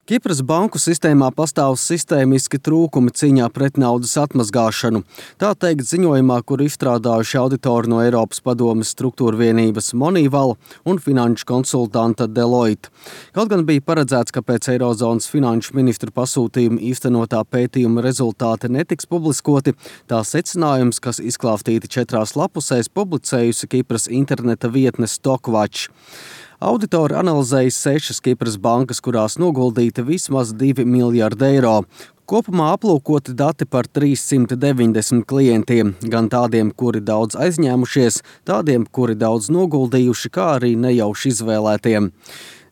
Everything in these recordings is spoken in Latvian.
Kipras banku sistēmā pastāv sistēmiski trūkumi cīņā pret naudas atmazgāšanu. Tā teikt ziņojumā, kur izstrādājuši auditori no Eiropas padomes struktūra vienības Moneyval un finanšu konsultanta Deloitte. Kaut gan bija paredzēts, ka pēc Eirozonas finanšu ministru pasūtījuma īstenotā pētījuma rezultāti netiks publiskoti, tā secinājums, kas izklāstīti 4 lapusēs, publicējusi Kipras interneta vietne Stockwatch. Auditori analizēja 6 Kipras bankas, kurās noguldīti vismaz 2 miljardi eiro. Kopumā aplūkoti dati par 390 klientiem, gan tādiem, kuri daudz aizņēmušies, tādiem, kuri daudz noguldījuši, kā arī nejauši izvēlētiem.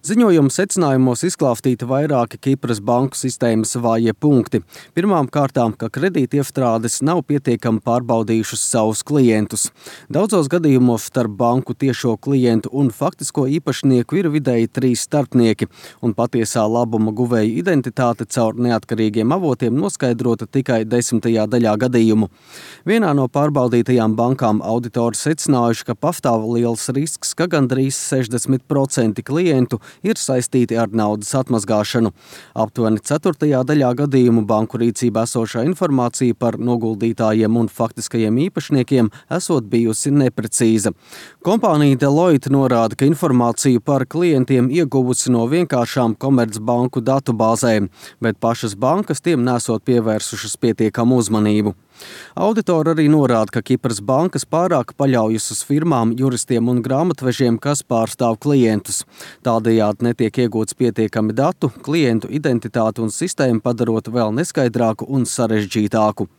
Ziņojuma secinājumos izklāstīti vairāki Kipras banku sistēmas vājie punkti. Pirmām kārtām, ka kredītiefstrādes nav pietiekami pārbaudījušas savus klientus. Daudzos gadījumos starp banku tiešo klientu un faktisko īpašnieku ir vidēji 3 starpnieki, un patiesā labuma guvēju identitāte caur neatkarīgiem avotiem noskaidrota tikai 10. daļā gadījumu. Vienā no pārbaudītajām bankām auditori secinājuši, ka pastāv liels risks, ka gandrīz 60% klientu ir saistīti ar naudas atmazgāšanu. Aptuveni 4. daļā gadījumu banku rīcībā esošā informācija par noguldītājiem un faktiskajiem īpašniekiem esot bijusi neprecīza. Kompānija Deloitte norāda, ka informāciju par klientiem ieguvusi no vienkāršām komercbanku datubāzēm, bet pašas bankas tiem nesot pievērsušas pietiekamu uzmanību. Auditori arī norāda, ka Kipras bankas pārāk paļaujas uz firmām, juristiem un grāmatvežiem, kas pārstāv klientus. Tādējādi netiek iegūts pietiekami datu, klientu identitāti un sistēmu padarot vēl neskaidrāku un sarežģītāku.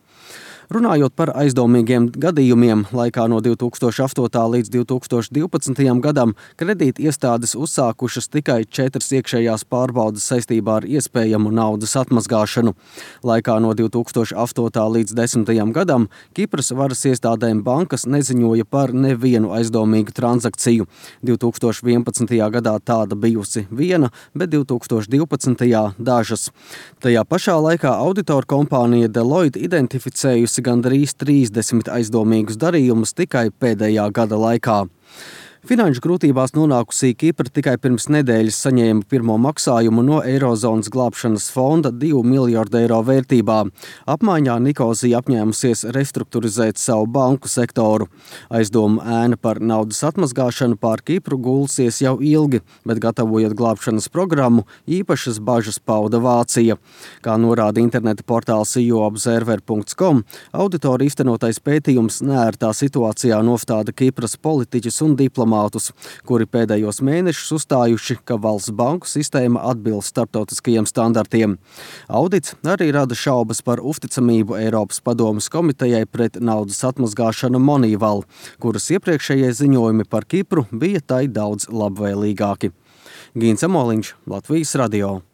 Runājot par aizdomīgiem gadījumiem, laikā no 2008. līdz 2012. gadam kredīti iestādes uzsākušas tikai 4 iekšējās pārbaudes saistībā ar iespējamu naudas atmazgāšanu. Laikā no 2008. līdz 10. gadam Kipras varas iestādēm bankas neziņoja par nevienu aizdomīgu transakciju. 2011. gadā tāda bijusi viena, bet 2012. dažas. Tajā pašā laikā auditoru kompānija Deloitte identificējusi gandrīz 30 aizdomīgus darījumus tikai pēdējā gada laikā. Finanšu grūtībās nonākusī Kipra tikai pirms nedēļas saņēma pirmo maksājumu no Eirozonas glābšanas fonda 2 miljardu eiro vērtībā. Apmaiņā Nikozija apņēmusies restruktūrizēt savu banku sektoru. Aizdomu ēna par naudas atmazgāšanu pār Kipru gulsies jau ilgi, bet gatavojot glābšanas programmu, īpašas bažas pauda Vācija. Kā norāda interneta portāls eUobserver.com, auditori īstenotais pētījums neērtā situācijā nostāda Kipras politiķus un diplomātus, kuri pēdējos mēnešus uzstājuši, ka valsts banku sistēma atbilst starptautiskajiem standartiem. Audits arī rada šaubas par uzticamību Eiropas padomes komitejai pret naudas atmazgāšanu Moneyval, kuras iepriekšējie ziņojumi par Kipru bija tai daudz labvēlīgāki. Gīns Amoliņš, Latvijas radio.